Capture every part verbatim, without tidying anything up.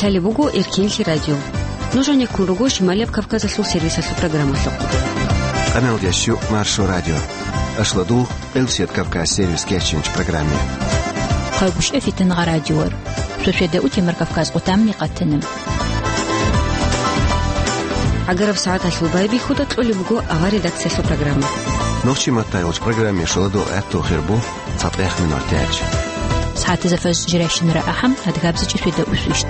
Лъалеб буго Эркинлъи радио. Нуж гьанеккун руго Шималияб Кавказалъул сервисалъул программалъухъ. Къамелдящу Маршо радио. Ашладул Элсет Кавказ сервис кечинч программе. Хъагушев Фитнагъа радиор. Суседа утемар Кавказ къутамни къатана. Агараб сагӀаталъул байбихьуда кьолеб буго авар редакциялъул программа. Нохчи матаялч программе шоладо гӀатту хирбу. ЦатӀехъ минутач. СагӀатазда фажр жирайщинара ахӀам, адгабзичӀи светда усвищ.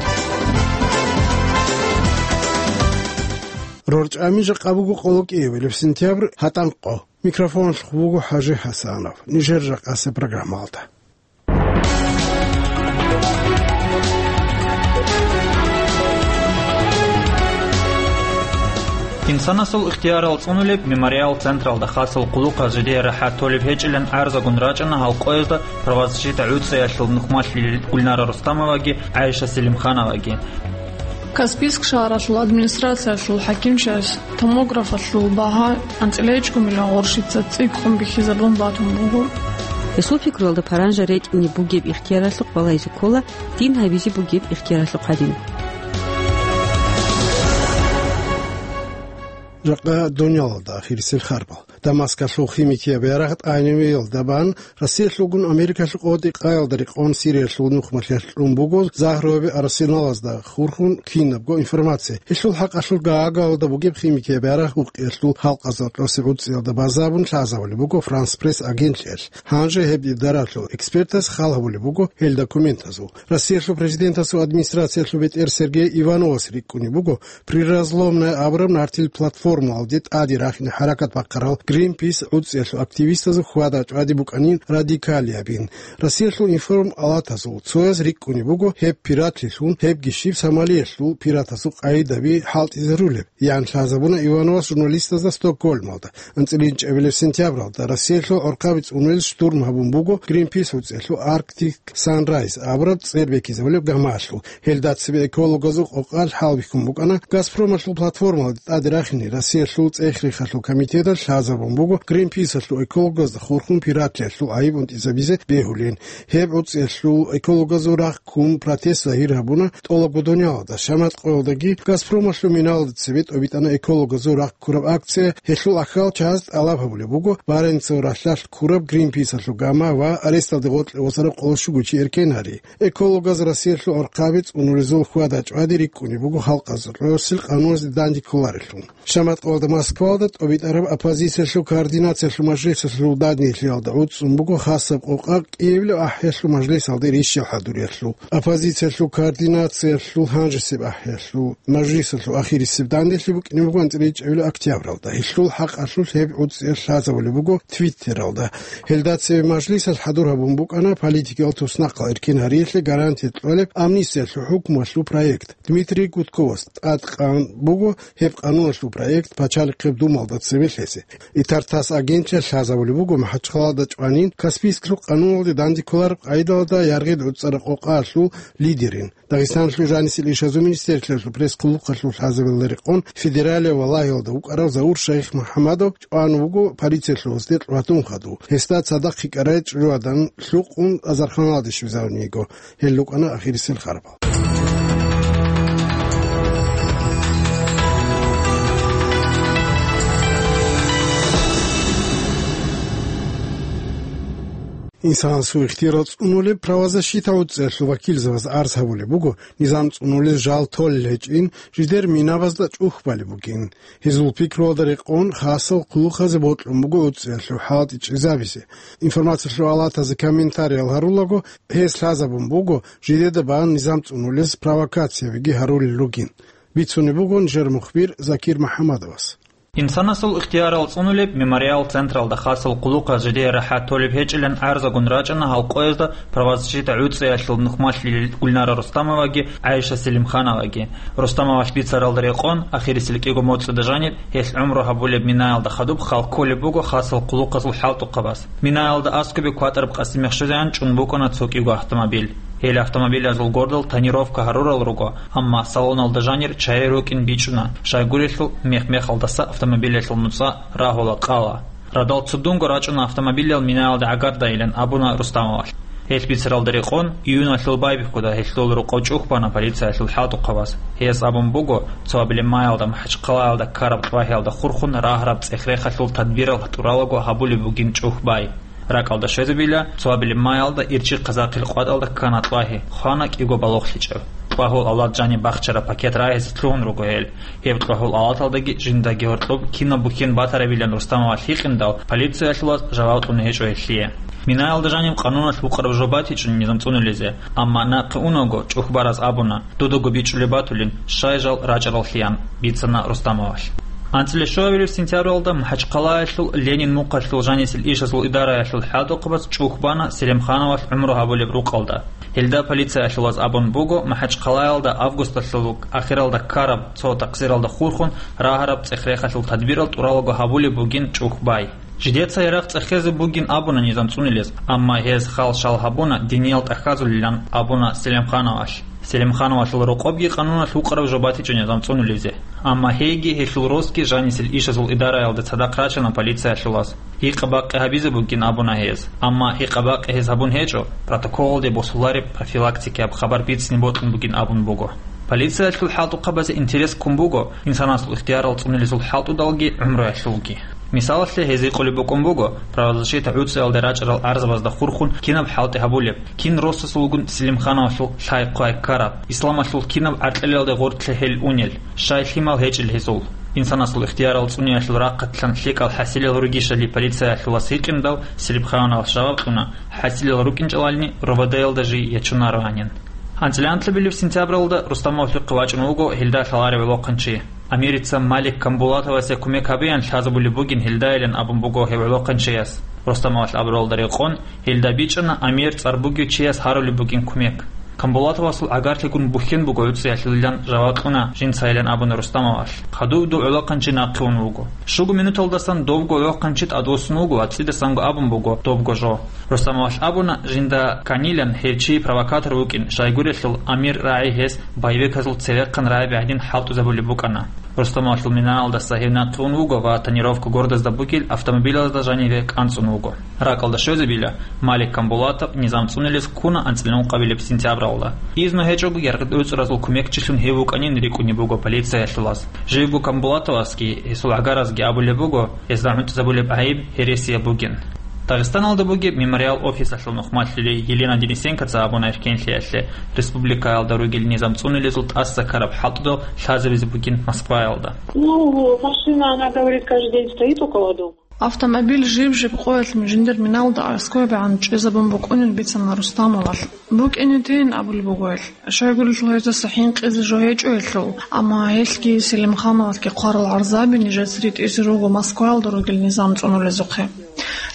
РорчӀами жакъа буго къоло кӀиабилеб сентябрь, гьатӀанкъо. Микрофонлъухъ вуго ХӀажи ХӀасанов. Нижер жакъасеб программалда. Инсанасул ихтиярал цӀунулеб мемориал централда хасал хъулухъаз жидее рахӀат толеб гьечӀилан гӀарзагун рачӀана гьал къоязда правозащита гӀуцӀиялъул нухмалъилел Гульнара Рустамоваги ГӀайша Селимхановаги. Каспийск шагьаралъул администрациялъул хӀакимчияс томографалъул багьа анцӀила гьечӀго миллион гъурщица цӀикӀкӀун бихьизабун батун буго. Гьесул пикруялда паранжа ретӀине бугеб ихтияралъухъ балайзе ккола дин гьабизе бугеб ихтияралъухъ гьадин. Жакъа дунялалда ахирисел харбал. Дамаскалъул химикияб ярагъ тӀагӀинабиялда бан, Россиялъулгун Америкалъул къотӀи-къаялда рекъон Сириялъул нухмалъиялъ кьун буго, загьруяби арсеналазда хурхун кинабго информация. Гьелъул хӀакъалъулъ Гаагаялда бугеб химикияб ярагъ гьукъиялъул халкъазда кьосеб гӀуцӀиялда базабун лъазабулеб буго Франс Пресс агентлъиялъ. Гьанже гьеб идаралъул экспертаз хал гьабулеб буго гьел документазул. Россиялъул президентасул администрациялъул бетӀер Сергей Ивановас рикӀкӀунеб буго, Приразломная абураб нартил платформаялде тӀаде рахине хӀаракат бахъарал Гринпис гӀуцӀиялъул активистазул хьвада-чӀвади букӀанин радикалиябин. Россиялъул информалатазул цояз рикӀкӀунеб буго гьеб пиратлъилъун, гьебги щиб Сомалиялъул пиратасул къагӀидаби хӀалтӀизарулеб, ян лъазабуна Ивановас журналистазда Стокгольмалда. АнцӀила чӀебилеб сентябралда Россиялъул гӀорхъаби цӀунулел штурм гьабун буго Гринпис гӀуцӀиялъул Арктик Санрайз абураб цӀер бекизабулеб гамаялъул. Гьелда цебе экологазул къокъалъ хӀалбихьун букӀана Газпромалъул платформалде тӀаде рахине Россиялъул цӀех-рехалъул комитеталъ лъазабун буго Гринписалъул экологазда хурхун пиратлъиялъул гӀайиб унтӀизабизе бегьулин. Гьеб гӀуцӀиялъул экологазул рахъ ккун протест загьир гьабуна тӀолабго дунялалда. Шамат къоялдаги Газпромалъул миналда цебе тӀобитӀана экологазул рахъ ккураб акция. Гьелъул ахьал чагӀаз тӀалаб гьабулеб буго Баренцев ралъдалъ ккураб Гринписалъул гама ва аресталде гъоркье восараб къоло щуго чи эркен гьари. Экологаз Россиялъул гӀорхъаби цӀунулезул хьвада-чӀвади рикӀкӀунеб буго халкъазул гӀорсил къануназе данде кколарелъул. Шамат къоялда Москвалда тӀобитӀараб оппозициялъул координациялъул мажлисалъул данделъиялда гӀуцӀцӀун буго хасаб къокъа кӀиабилеб ахӀиялъул мажлисалде рищал хӀадуриялъул. Оппозициялъул координациялъул гьанжесеб ахӀиялъул мажлисалъул ахирисеб данделъи букӀине буго анцӀила чӀебилеб октябралда. Гьелъул хӀакъалъулъ гьеб гӀуцӀиялъ лъазабулеб буго Твиттералда. Гьелда цебе мажлисалъ хӀадур гьабун букӀана политикиял туснахъал эркен гьариялъе гарантия кьолеб амнистиялъул хӀукмуялъул проект. Дмитрий Гудковас тӀадкъан буго гьеб къануналъул проект Пачалихъеб Думалда цебе лъезе. Итар тасс агентлъиялъ лъазабулеб буго МахӀачхъалада чӀванин Каспийскалъул къануналде данде кколареб къагӀидалда яргъи гӀуцӀараб къокъаялъул лидерин, Дагъистаналъул жанисел ишазул министерствоялъул пресс-хъулухъалъул лъазабилалда рекъон федералияб Валагьиялда вукӀарав Заур Шайх МухӀаммадов чӀван вуго полициялъул гьесде кьватун хадув. Гьесда цадахъ кьикӀарай чӀужугӀадан лъукъун азарханалде щвезарун йиго. Гьел рукӀана ахирисел харбал. Инсанасул ихтиярал цӀунулеб правозащита гӀуцӀиялъул вакилзабаз арз гьабулеб буго, низам цӀунулез жал толел гьечӀин, жидер минабазда чӀухь балеб бугин. Гьезул пикруялда рекъон хасал хъулухъазе бокьун буго гӀуцӀиялъул хӀалтӀи чӀезабизе. Информациялъул алатазе комментариял гьарулаго, гьес лъазабун буго, жидеда бан низам цӀунулез провокациябиги гьарулел ругин. Бицунеб буго нижер мухбир Закир МухӀаммадовас. Инсанасул ихтиярал цӀунулеб мемориал централда хасал хъулухъаз жидее рахӀат толеб гьечӀилан гӀарзагун рачӀана гьал къоязда правозащита гӀуцӀиялъул нухмалъилел Гульнара Рустамоваги ГӀайша Селимхановаги. Рустамовалъ бицаралда рекъон, ахирисел кӀиго моцӀида жаниб гьелъ гӀумру гьабулеб Минаялда хадуб хал кколеб буго хасал хъулухъазул хӀалтӀухъабаз. Минаялда аскӀобе кватӀараб Къасимихъ Шузян чӀун букӀана цо кӀиго автомобиль. Гьел автомобилазул гордал тонировка гьарурал руго, амма салоналда жанир чагӀи рукӀин бичӀчӀуна, щайгурелъул мех-мехалдаса автомобилалъул нуцӀа рагьула къала. Радал цудунго рачӀуна автомобилал Минаялда гӀагардайилан абуна Рустамовалъ. Гьелъ бицаралда рекъон, июналъул байбихьуда гьелъул рокъов чӀухь бана полициялъул хӀалтӀухъабаз. Гьес абун буго, цо абилеб маялда МахӀачхъалаялда ккараб тӀвагьиялда хурхун рагьараб цӀех-рехалъул тадбирал тӀуралаго гьабулеб бугин чӀухь бай. РакӀалда щвезабила, цо абилеб маялда Ирчи-Хъазахъил къватӀалда ккана тӀвагьи, хвана кӀиго балугълъичӀеб. ТӀвагьул авлад жаниб бахчараб пакет рагьизе лъугьун руго гьел. Гьеб тӀвагьул авлаталдаги жиндаги гьоркьоб кинаб бухьен батарабилан Рустамовалъ гьикъиндал, полициялъулаз жаваб кьуна гьечӀо гьелъие. Минаялда жаниб къануналъ вукъараб жо батичӀо низам цӀунулезе, амма нахъе унаго чӀухь бараз абуна, дудаго бичӀчӀулеб батулин, щай жал рачӀараллъиян, бицана Рустамовалъ. АнцӀила щуабилеб сентябралда МахӀачхъалаялъул Ленин мухъалъул жанисел ишазул идараялъул хӀалтӀухъабаз чӀухь бана Селимхановалъ гӀумру гьабулеб рукъалда. Гьелда полициялъулаз абун буго, МахӀачхъалаялда августалъул ахиралда ккараб цо такъсиралда хурхун рагьараб цӀех-рехалъул тадбирал тӀуралаго гьабулеб бугин чӀухь бай. Жидеца ярагъ цӀехезе бугин абуна низам цӀунулез, амма гьез хал-шал гьабуна, диниял тӀахьазулилан абуна Селимхановалъ. Селимхановалъул рокъобги къануналъ вукъараб жо батичӀо низам цӀунулезе. Амма гьейги гьелъул росги жанисел ишазул идараялда цадахъ рачана полициялъулаз. Гьикъа-бакъи гьабизе бугин абуна гьез. Амма гьикъа-бакъи гьез гьабун гьечӀо, протоколалде босулареб профилактикияб хабар бицине бокьун бугин абун буго. Полициялъул хӀалтӀухъабазе интерес ккун буго инсанасул ихтиярал цӀунулезул хӀалтӀудалги гӀумруялъулги. Мисалалъе, гьез гьикъулеб букӀун буго, правозащита гӀуцӀиялде рачӀарал гӀарзабазда хурхун кинаб хӀалтӀи гьабулеб, кин росасулгун Селимхановалъул лъай-хъвай ккараб, исламалъул кинаб гӀаркьелалде гъоркье гьел унел, щай лъимал гьечӀел гьезул. Инсанасул ихтиярал цӀуниялъул рахъалъан лъикӀал хӀасилал ругищали полициялъулас гьикъиндал, Селимхановалъ жаваб кьуна, хӀасилал рукӀинчӀалални РОВД-ялда жий ячунароанин. АнцӀила анлъабилеб сентябралда Рустамовалъухъе вачӀун вуго гьелда лъаларев гӀолохъанчи. Амирица Малик Камбулатовасе кумек гьабеян лъазабулеб бугин гьелдайилан абун буго гьев гӀолохъанчияс. Рустамовалъ абуралда рекъон, гьелда бичӀчӀана амир цӀар бугев чияс гьарулеб бугин кумек. Камбулатовасул гӀагарлъигун бухьен буго гӀуцӀиялъулилан жаваб кьуна жинцайилан абуна Рустамовалъ. Хадуб дов гӀолохъанчи нахъе ун вуго. Щуго минуталдасан довго гӀолохъанчи тӀадвуссун вуго ва цӀидасанго абун буго добго жо. Рустамовалъ абуна, жинда кканилан гьев чи провокатор вукӀин, щайгурелъул амир рагӀи гьес боевиказул цевехъан рагӀи гӀадин хӀалтӀизабулеб букӀана. Рустамовалъул минаялдаса гьев нахъе ун вуго ва тонировка гордазда бугел автомобилазда жаниве кӀанцӀун вуго. РакӀалда щвезабила, Малик Камбулатов низам цӀунулез ккуна анцӀила ункъабилеб сентябралда. Изну гьечӀого яргъи-дуцӀразул кумекчилъун гьев вукӀанин рикӀкӀунеб буго полициялъулаз. Живго Камбулатовасги гьесул гӀагаразги абулеб буго, гьезда гӀунтӀизабулеб гӀайиб гьересияб бугин. Дагъистаналда бугеб Мемориал офисалъул нухмалъулей Елена Денисенкоца абуна эркенлъиялъе, республикаялда ругел низам цӀунулезул тӀаса ккараб хӀалтӀудал лъазабизе бугин Москваялда. Ну, машина, она, говорит, каждый день стоит около дома. Автомобиль жиб-жиб къоялъ жиндир миналда аскӀобегӀан чӀезабун букӀунин бицана Рустамовалъ. БукӀине тейин абулеб буго гьелъ. Щайгурелъул гьездаса хӀинкъизе жо гьечӀо гьелъул, амма гьелъги Селимхановалъги хъварал гӀарзаби нижеца ритӀизе руго Москваялда ругел низам цӀунулезухъе.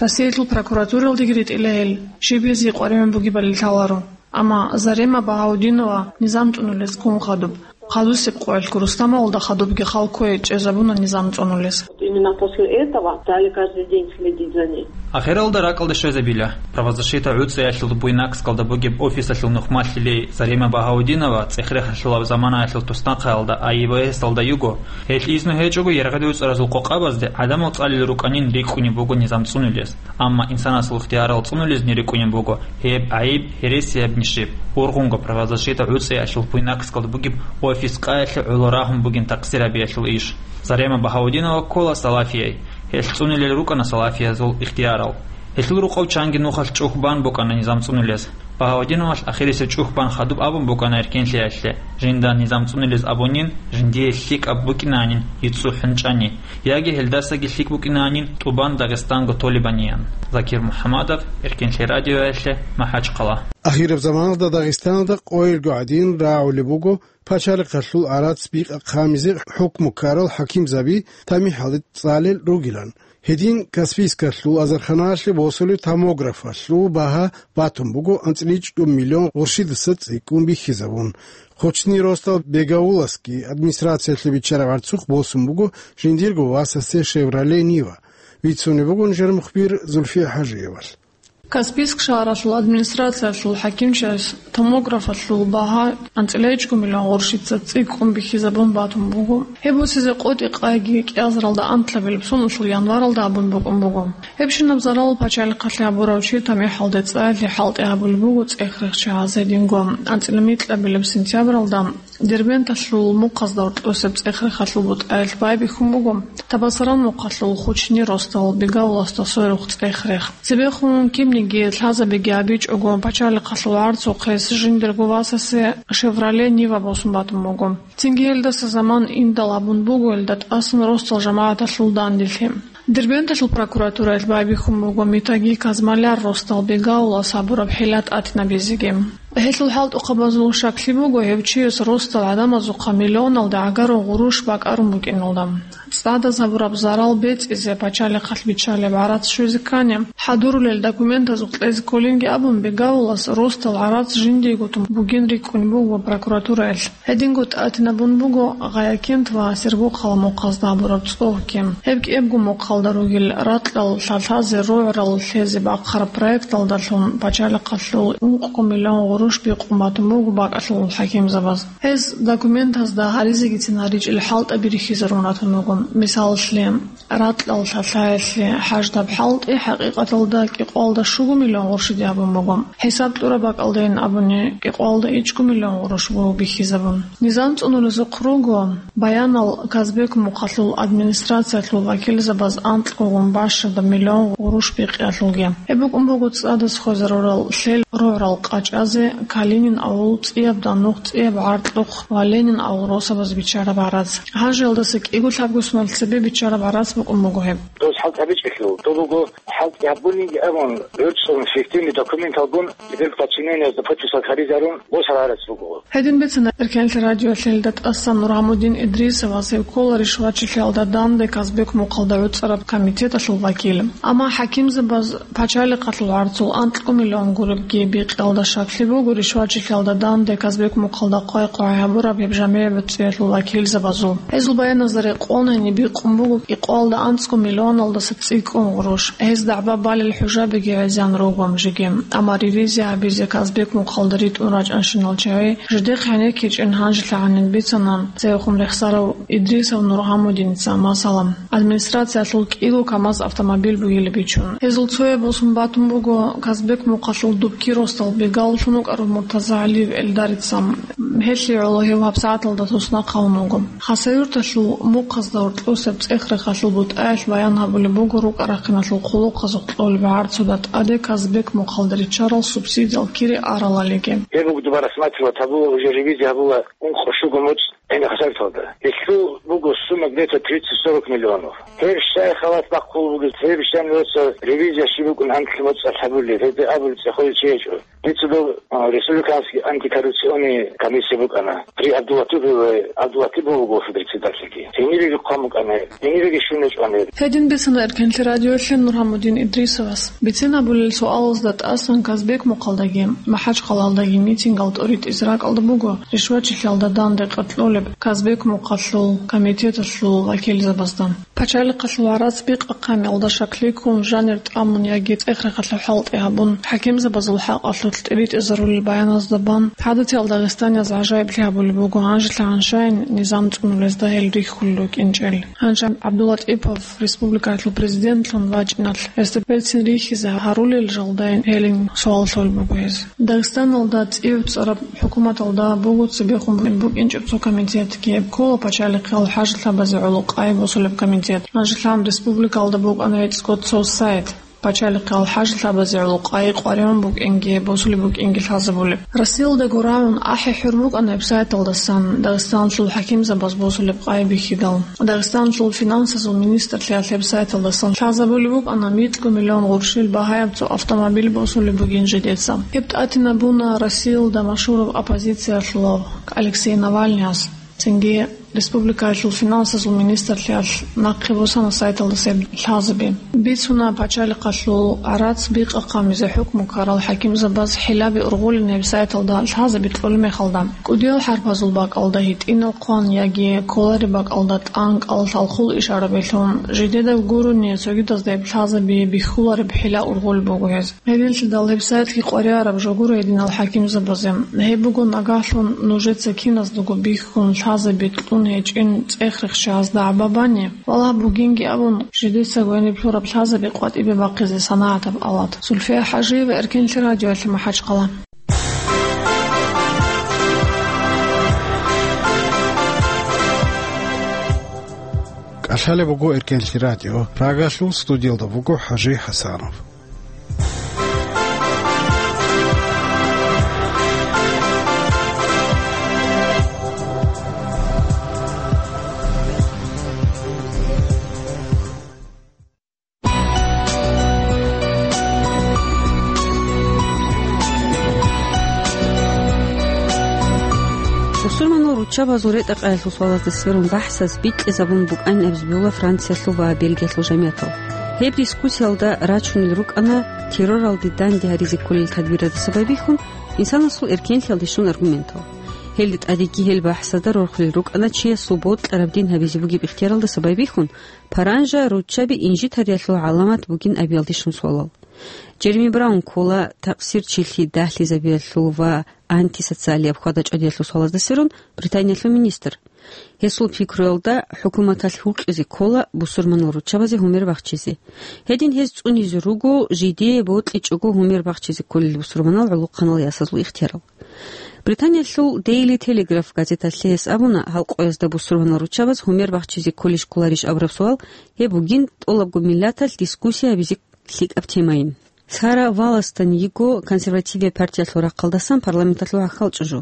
Россиялъул прокуратуралдеги ритӀила гьел, щиб гьезие къваригӀун бугебали лъаларо. Амма Зарема Багьаудинова низам цӀунулез ккун хадуб, хадусеб къоялъго Рустамовалда хадубги хал кквей чӀезабуна низам цӀунулез. Именно после этого стали каждый день следить за ней. Ахиралда ракӀалда щвезабила. Правозащита гӀуцӀиялъул Буйнакскалда бугеб офисалъул нухмалъилей Зарема Багьаудинова цӀех-рехалъулаб заманаялъул туснахъаялда АИБС-алда йиго. Гьелъ изну гьечӀого яргъи-дуцӀразул къокъабазде гӀадамал цӀалел рукӀанин рикӀкӀунеб буго низам цӀунулез. Амма инсанасул ихтиярал цӀунулезни рикӀкӀунеб буго гьеб гӀайиб гьересиябни щиб. Ургъунго правозащита гӀуцӀиялъул Буйнакскалда бугеб офис къаялъе гӀоло рагьун бугин такъсир гьабиялъул иш. Зарема Багьаудинова ккола салафияй. Гьелъ цӀунулел рукӀана салафиязул ихтиярал. Гьелъул рукъов чанги нухалъ чӀухь бан букӀана низам цӀунулез. Багьаудиновалъ ахирисеб чӀухь бан хадуб абун букӀана эркенлъиялъе, жинда низам цӀунулез абунин, жиндие лъикӀаб букӀинанин йицӀу хӀунчӀани, яги гьелдасаги лъикӀ букӀинанин тӀубан Дагъистанго толебаниян. Закир МухӀамадов, Эркенлъи радиоялъе, МахӀачхъала. Ахираб заманалда Дагъистаналда къойилго гӀадин рагӀулеб буго пачалихъалъул гӀарац бикъа-хъамизе хӀукму ккарал хӀакимзаби тамихӀалде цӀалел ругилан. Гьедин Каспийскалъул азарханалъе босулеб томографалъул багьа батун буго анцӀила чӀужу миллион гъурщидаса цӀикӀкӀун бихьизабун. Хъучни росдал Бегауласги администрациялъе биччараб гӀарцухъ босун буго жиндирго васасде Шевроле Нива. Бицунеб буго нижер мухбир Зульфия ХӀажиевалъ. Каспийск шагьаралъул администрациялъул хӀакимчияс томографалъул багьа анцӀила ичӀго миллион гъурущица цӀикӀкӀун бихьизабун батун буго. Гьеб босизе къотӀи къайги кӀиазаралда анлъабилеб соналъул январалда абун букӀун буго. Гьебщинаб зарал пачалихъалъе гьабурав чи тамихӀалде цӀаялъе хӀалтӀи гьабулеб буго цӀех-рехчагьаз гьединго анцӀила микьабилеб сентябралда Дербенталъул мухъазда гьоркьосеб цӀех-рехалъул бутӀаялъ байбихьун буго Табасаран мухъалъул Хучни росдал Бегауласда сверухъ цӀех-рех. Цебехун кинниги лъазабиги гьабичӀого, пачалихъалъул гӀарцухъес жиндирго васасе «Шевроле Нива» босун батун буго. Цинги гьелдаса заман индал абун буго гьелда тӀасан росдал жамагӀаталъул данделъи. Дербенталъул прокуратураялъ байбихьун буго Митаги Казмаляр росдал Бегаулас гьабураб хӀила тӀатинабизеги. Гьелъул хӀалтӀухъабазул щаклъи буго гьев чияс росдал гӀадамазухъа миллионалда гӀагарун гъурущ бакӀарун букӀиналда. ЦӀадаз гьабураб зарал бецӀизе пачалихъалъ биччалеб гӀарац щвезе ккани, хӀадурулел документазухъ кьезе кколинги абун, Бегаулас росдал гӀарац жиндиего тун бугин рикӀкӀунеб буго прокуратураялъ. Гьединго тӀатинабун буго Гъаякент ва Сергокъала мухъазда гьабураб цӀогьги. Гьеб кӀиябго мухъалда ругел ракьал лъалъазе рогӀрал лъезе бахъараб проекталдалъун пачалихъалъул ункъго миллион гъурущ бикъун батун буго бакӀалъул хӀакимзабаз. Гьез документазда гьаризегицин гьаричӀел хӀалтӀаби рихьизарун ратун руго. Мисалалъе, ракьал лъалъаялъе хӀаждаб хӀалтӀи хӀакъикъаталда кӀикъоялда щуго миллион гъурущиде абун буго. ХӀисаб кьураб бакӀалдайин абуни, кӀикъоялда ичӀго миллион гъурущ буго бихьизабун. Низам цӀунулезухъ руго баянал Казбек мухъалъул администрациялъул вакилзабаз анкьгогун бащадаб миллион гъурущ бикъиялъулги. Гьеб букӀун буго цӀадаз хвезарурал лъел рогӀрал къачӀазе, Калинин авул, ЦӀияб Данухъ, ЦӀияб ГӀаркьухъ ва Ленин авул росабаз биччараб гӀарац. Гьанже гьелдаса кӀиго лъабго сунал цебе биччараб гӀарац букӀун буго гьеб. Дос хӀалтӀи гьабичӀелъул, дов буго хӀалтӀи гьабунинги абун, гӀурцӀун фиктивный документалгун, гьеб подчинениязда подписал гьаризарун, босараб гӀарац буго. Гьедин бицана Эркенлъи радиоялъе гьелда тӀасан Нургьамудин Идрисовас, гьев ккола ришвачилъиялда данде Казбек мухъалда гӀуцӀараб комитеталъул вакил. Амма хӀакимзабаз пачалихъалъул гӀарцул анкьго миллион гуребги бикъиялда щаклъи буго ришвачилъиялда данде Казбек мухъалда хъвай-хъвай гьабураб гьеб жамигӀ бецӀиялъул вакилзабазул. Гьезул баяназда рекъон гьениб бикъун буго кӀикъоялда анцӀго миллионалдаса цӀикӀкӀун гъурущ. Гьез дагӀба балел хӀужабиги гӀезан руго жеги. Амма ревизия гьабизе Казбек мухъалда ритӀун рачӀанщинал чагӀи жидехъ гьенеккичӀин гьанжелъагӀанин бицана цевехун рехсарав Идрисов Нургьамудиница, масала, администрациялъул кӀиго КамАЗ автомобиль бугилеб бичун. Гьезул цояб босун батун буго Казбек мухъалъул Дубки росдал Бегауллъун вукӀарав МуртазагӀалиев Эльдарица. Гьелъие гӀоло гьев гьабсагӀаталда туснахъ гьавун вуго. Хасавюрталъул мухъазда гьоркьосеб цӀех-рехалъул бутӀаялъ баян гьабулеб буго рукӀа-рахъиналъул хъулухъазухъ кьолеб гӀарцуда тӀаде Казбек мухъалда риччарал субсидиял кири аралалиги. Гьеб буго дуба рассматривать гьабула, уже ревизия гьабула ункъо-щуго муцӀ гӀина Хасавюрталда. Гьелъул буго сумма где-то тридцать-сорок миллионов. Гьеб щай халат бахъулеб бугеб, гьеб щай нуца ревизия щиб букӀун анкьлъи муцӀалъ гьабулеб, гьеб абулеб цӀехолел чи гьечӀо. Дица дов, а, Республиканский антикоррупционный комиссия букӀана. При Абдулатипове, Абдулатипов вуго председательги. Гьенибеги хъван букӀана, гьенибеги щун гьечӀони. Гьедин бицана Эркенлъи радиоялъе Нургьамудин Идрисовас. Бицен абулел суалазда тӀасан Казбек мухъалдаги, МахӀачхъалаялдаги митингал тӀоритӀизе ракӀалда буго ришвачилъиялда данде къеркьолеб Казбек мухъалъул комитеталъул вакилзабазда. Пачалихъалъул гӀарац бикъахъанилда щаклъи ккун, жанир тӀамун яги цӀех-рехалъул хӀалтӀи гьабун, хӀакимзабазул хӀакъалъулъ тӀибитӀизарулел баяназда бан, гӀадатиялда дагъистанияз гӀажаиблъи гьабулеб буго гьанжелъагӀан щайин низам цӀунулезда гьел рихьулел рукӀинчӀел. Гьанже ГӀабдулатӀипов республикаялъул президентлъун вачӀиналъ, гьесда берцин рихьизе гьарулел жалдайин гьелин суал лъолеб буго гьез. Дагъистаналда цӀи гӀуцӀараб хӀукуматалда буго цебехун букӀинчӀеб цо комитетги, гьеб ккола пачалихъал хӀажалъабазе гӀоло къай босулеб комитет. Гьанжелъан республикалда букӀана гьецӀго цо сайт, пачалихъал хӀажалъабазе гӀоло къай къваригӀун букӀинги босулеб букӀинги лъазабулеб. Россиялдаго рагӀун ахӀи-хӀур букӀана гьеб сайталдасан Дагъистаналъул хӀакимзабаз босулеб къай бихьидал. Дагъистаналъул финансазул министрлъиялъ гьеб сайталдасан лъазабулеб букӀана микьго миллион гъурущил багьаяб цо автомобиль босулеб бугин жидеца. Гьеб тӀатинабуна Россиялда машгьурав оппозициялъулав Алексей Навальныяс. Цинги Республикаялъул финансазул министрлъиялъ нахъе босана сайталдаса гьеб лъазаби. Бицуна пачалихъалъул гӀарац бикъа-хъамизе хӀукму ккарал хӀакимзабаз хӀилаби ургъулин гьеб сайталда лъазаби кьолеб мехалда. КӀудиял хӀарпазул бакӀалда гьитӀинал хъван яги кколареб бакӀалда тӀанкӀал лъалхъул ишарабилъун, жидедаб гурони цогидазда гьеб лъазаби бихьулареб хӀила ургъулеб буго гьез. Гьединлъидал гьеб сайтлъи къваригӀараб жо гуро гьединал хӀакимзабазе. Гьеб буго нагагьлъун нужеца киназдаго бихьун лъазаби кьун гьечӀин цӀех-рехсчагьазда гӀаба бани, валагь, бугинги абун, жидецаго гьениб лъураб лъазаби къватӀибе бахъизе санагӀатаб алат. Зульфия ХӀажиева, Эркенлъи радиоялъе, МахӀачхъала. КӀалъалеб буго Эркенлъи радио. Прагалъул студиялда буго ХӀажи ХӀасанов. Бусурманал руччабазул ретӀа-къаялъул суалазда сверун бахӀсаз бикьизабун букӀанин абизе бегьула Франциялъул ва Бельгиялъул жамиятал. Гьеб дискуссиялда рачунел рукӀана терроралде данде гьаризе кколел тадбиралдаса байбихьун, инсанасул эркенлъиялде щун аргументал. Гьелде тӀадеги гьел бахӀсазда рорхулел рукӀана чиясул бокьараб дин гьабизе бугеб ихтияралдаса байбихьун, паранжа руччаби инжитариялъул гӀаламат бугин абиялде щун суалал. Джереми Браун ккола такъсирчилъи дагьлъизабиялъул ва антисоциалияб хьвада-чӀвадиялъул суалазда сверун Британиялъул министр. Гьесул пикруялда, хӀукуматалъ гьукъизе ккола бусурманал руччабазе гьумер бахчизе. Гьедин гьез цӀунизе руго жидее бокьичӀого гьумер бахчизе кколел бусурманал гӀолохъанал ясазул ихтиярал. Британиялъул Daily Telegraph газеталъе гьес абуна, гьал къоязда бусурманал руччабаз гьумер бахчизе кколищ кколарищ абураб суал, гьеб бугин тӀолабго миллаталъ дискуссия гьабизе лъикӀаб темайин. Сара Валластон йиго консервативияб партиялъул рахъалдасан парламенталъул гӀахьал чӀужу.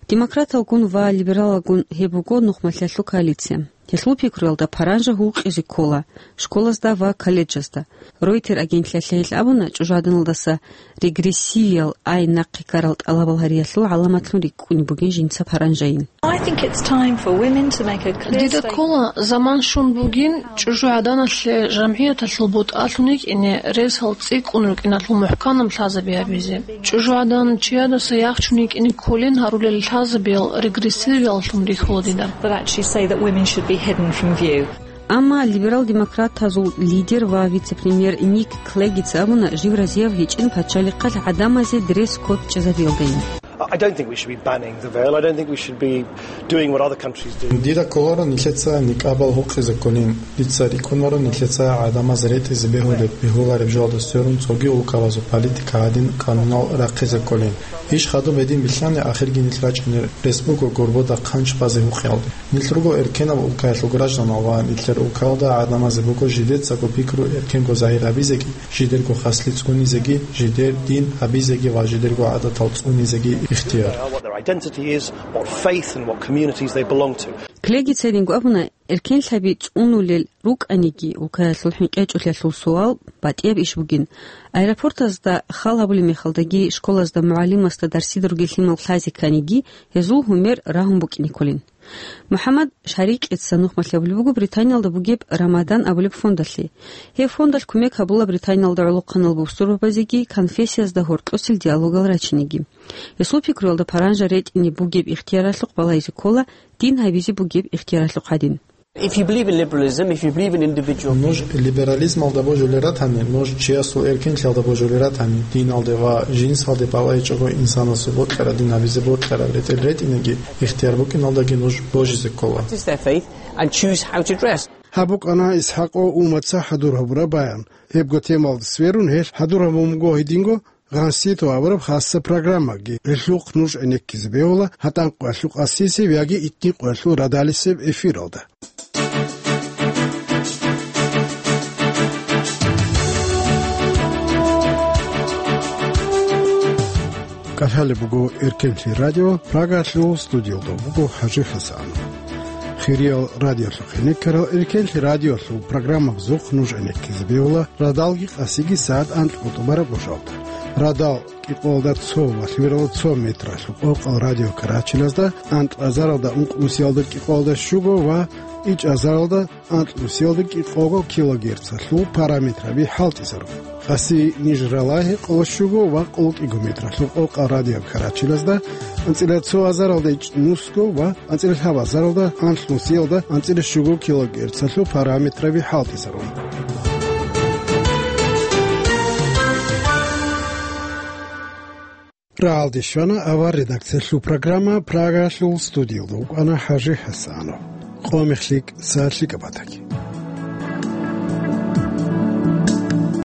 Демократалгун ва либералалгун гьеб буго нухмалъиялъул коалиция. Гьелъул пикруялда, паранжа гьукъизе ккола школазда ва колледжазда. Ройтер агентлъиялъе гьел абуна, чӀужугӀаданалдаса регрессивиял ай нахъе ккарал тӀалабал гьариялъул гӀаламатлъун рикӀкӀунеб бугин жинца паранжайин. I think it's time for women to make a clear Дида statement. Ккола, заман щун бугин чӀужугӀаданалъе жамгӀияталъул бутӀалъун йикӀине ресал цӀикӀкӀун рукӀиналъул мухӀканаб лъазаби гьабизе. ЧӀужугӀадан чиядаса яхчун йикӀине кколин гьарулел лъазабиял регрессивияллъун рихьула дида. But actually say that women should be hidden from view. Амма либерал-демократазул лидер ва вице-премьер Ник Клегица абуна, жив разияб гьечӀин пачалихъалъ гӀадамазе дресс-код чӀезабиялдайин. I don't think we should be banning the veil. I don't think we should be doing what other countries do. Дида кколаро нилъеца никабал гьукъизе кколин. Дица рикӀкӀунаро нилъеца гӀадамаз ретӀизе бегьулеб, бегьулареб жоялда сверун цоги улкабазул политика гьадин канунал рахъизе кколин. Иш хадуб гьедин билълъани, ахирги нилъ рачӀунел рес буго гурбуда хъанч базе гьукъиялде. Нилъ руго эркенаб улкаялъул гражданал ва нилъер улкаялда гӀадамазе буго жидецаго пикру эркенго загьир гьабизеги, жидерго хаслъи цӀунизеги, жидер дин гьабизеги ва жидерго гӀадатал цӀунизеги ихтияр. What their identity is, what faith and what communities they belong to. Клегица гьединго абуна, эркенлъаби цӀунулел рукӀаниги, улкаялъул хӀинкъичӀулъиялъул суал батӀияб иш бугин. Аэропортазда хал гьабулеб мехалдаги, школазда мугӀалимасда дарсида ругел лъимал лъазе кканиги, гьезул гьумер рагьун букӀине кколин. МухӀаммад Шарикъица нухмалъи абулеб буго Британиялда бугеб Рамадан абулеб фондалъе. Гьеб фондалъ кумек гьабула Британиялда гӀолохъанал бусурбабазеги конфессиязда гьоркьосел диалогал рачинеги. Гьесул пикруялда, паранжа ретӀине бугеб ихтияралъухъ балагьизе ккола дин гьабизе бугеб ихтияралъухъ гьадин. If you believe in liberalism, if you believe in individual Нуж либерализмалда божулел ратани, нуж чиясул эркенлъиялда божулел ратани, диналде ва жинсалде балагьичӀого инсанасул бокьараб дин гьабизе бокьараб ретӀел ретӀинеги, ихтияр букӀиналдаги нуж божизе ккола. Practice their faith and choose how to dress. Гьаб букӀана ИсхӀакъо Умаца хӀадур гьабураб баян. Гьебго темалда сверун гьелъ хӀадур гьабун буго гьединго Гъанситов абураб хасса программаги. Гьелъухъ нуж гӀенеккизе бегьула гьатӀан къоялъул къасисеб яги итни къоялъул радалисеб эфиралда. КӀалъалеб буго Эркенлъи радио, Прагалъул студиялда буго ХӀажи ХӀасан. Хириял радиолъухъ гьенеккарал Эркенлъи радиолъул программабазухъ нуж гӀенеккизе бегьула радалги къасиги сагӀат анкьго тӀубараб гӀужалда. Радал кӀикъоялда цо ва лъимералда цо метралъуб къокъал радиокарачилазда анкьазаралда ункънусиялда кӀикъоялда щуго ва ичӀазаралда анкьнусиялда кӀикъого килогерцалъул параметраби хӀалтӀизарун. Къаси ниж ралагьи къоло щуго ва къоло кӀиго метралъуб къокъал радиокарачилазда анцӀила цо азаралда ичӀнусго ва анцӀила лъабазаралда анлънусиялда анцӀила щуго килогерцалъул параметраби хӀалтӀизарун. Рагьалде щвана авар редакциялъул программа, Прагалъул студиялда вукӀана ХӀажи ХӀасанов. Къо мехлъи, са лъикӀаб батаги.